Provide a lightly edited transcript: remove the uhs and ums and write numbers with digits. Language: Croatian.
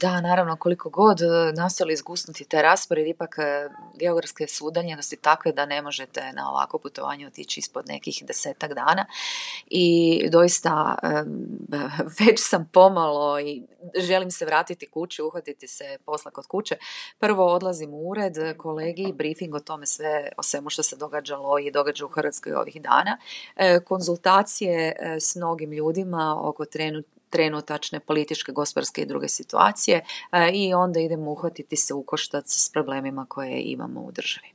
Da, naravno, koliko god nastojali izgusnuti taj raspored, ipak geografske su udaljenosti takve da ne možete na ovako putovanje otići ispod nekih 10-tak dana i doista već sam pomalo i želim se vratiti kući, uhvatiti se posla kod kuće. Prvo odlazim u ured kolegi, briefing o tome o svemu što se događalo i događa u Hrvatskoj ovih dana, konzultacije s mnogim ljudima oko trenutačne političke, gospodarske i druge situacije i onda idemo uhvatiti se u koštac s problemima koje imamo u državi.